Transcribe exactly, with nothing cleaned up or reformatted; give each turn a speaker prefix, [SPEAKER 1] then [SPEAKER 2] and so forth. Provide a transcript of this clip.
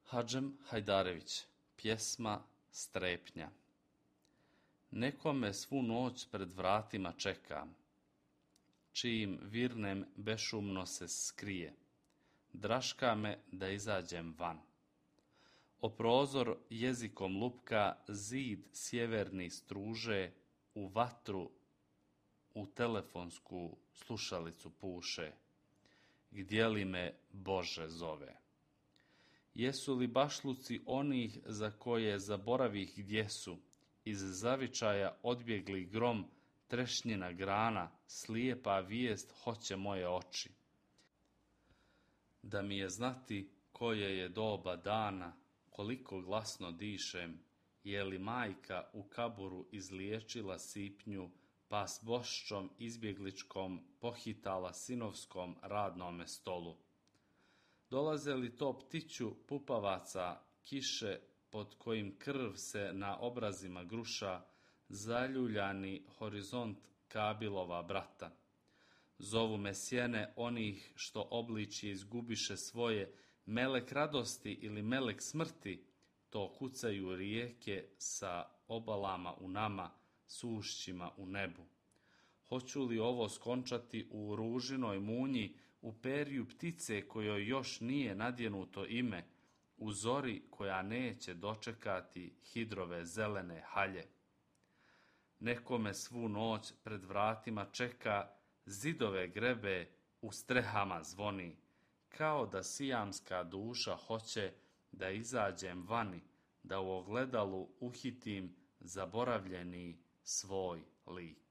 [SPEAKER 1] Hadžem Hajdarević, pjesma Strepnja. Neko me svu noć pred vratima čeka, čijim virnem bešumno se skrije. Draška me da izađem van. O prozor jezikom lupka, zid sjeverni struže, u vatru u telefonsku slušalicu puše. Gdje li me Bože zove? Jesu li bašluci onih za koje zaboravih gdje su, iz zavičaja odbjegli grom, trešnjina grana, slijepa vijest hoće moje oči. Da mi je znati koje je doba dana, koliko glasno dišem, je li majka u kaburu izliječila sipnju, pa s boščom izbjegličkom pohitala sinovskom radnome stolu. Dolaze li to ptiću pupavaca kiše, pod kojim krv se na obrazima gruša, zaljuljani horizont Kabilova brata. Zovu me sjene onih što obličje izgubiše svoje, melek radosti ili melek smrti, to kucaju rijeke sa obalama u nama, sušćima u nebu. Hoću li ovo skončati u ružinoj munji, u perju ptice kojoj još nije nadjenuto ime, u zori koja neće dočekati hidrove zelene halje? Neko me svu noć pred vratima čeka, zidove grebe, u strehama zvoni, kao da sijamska duša hoće da izađem vani, da u ogledalu uhitim zaboravljeni svoj lik.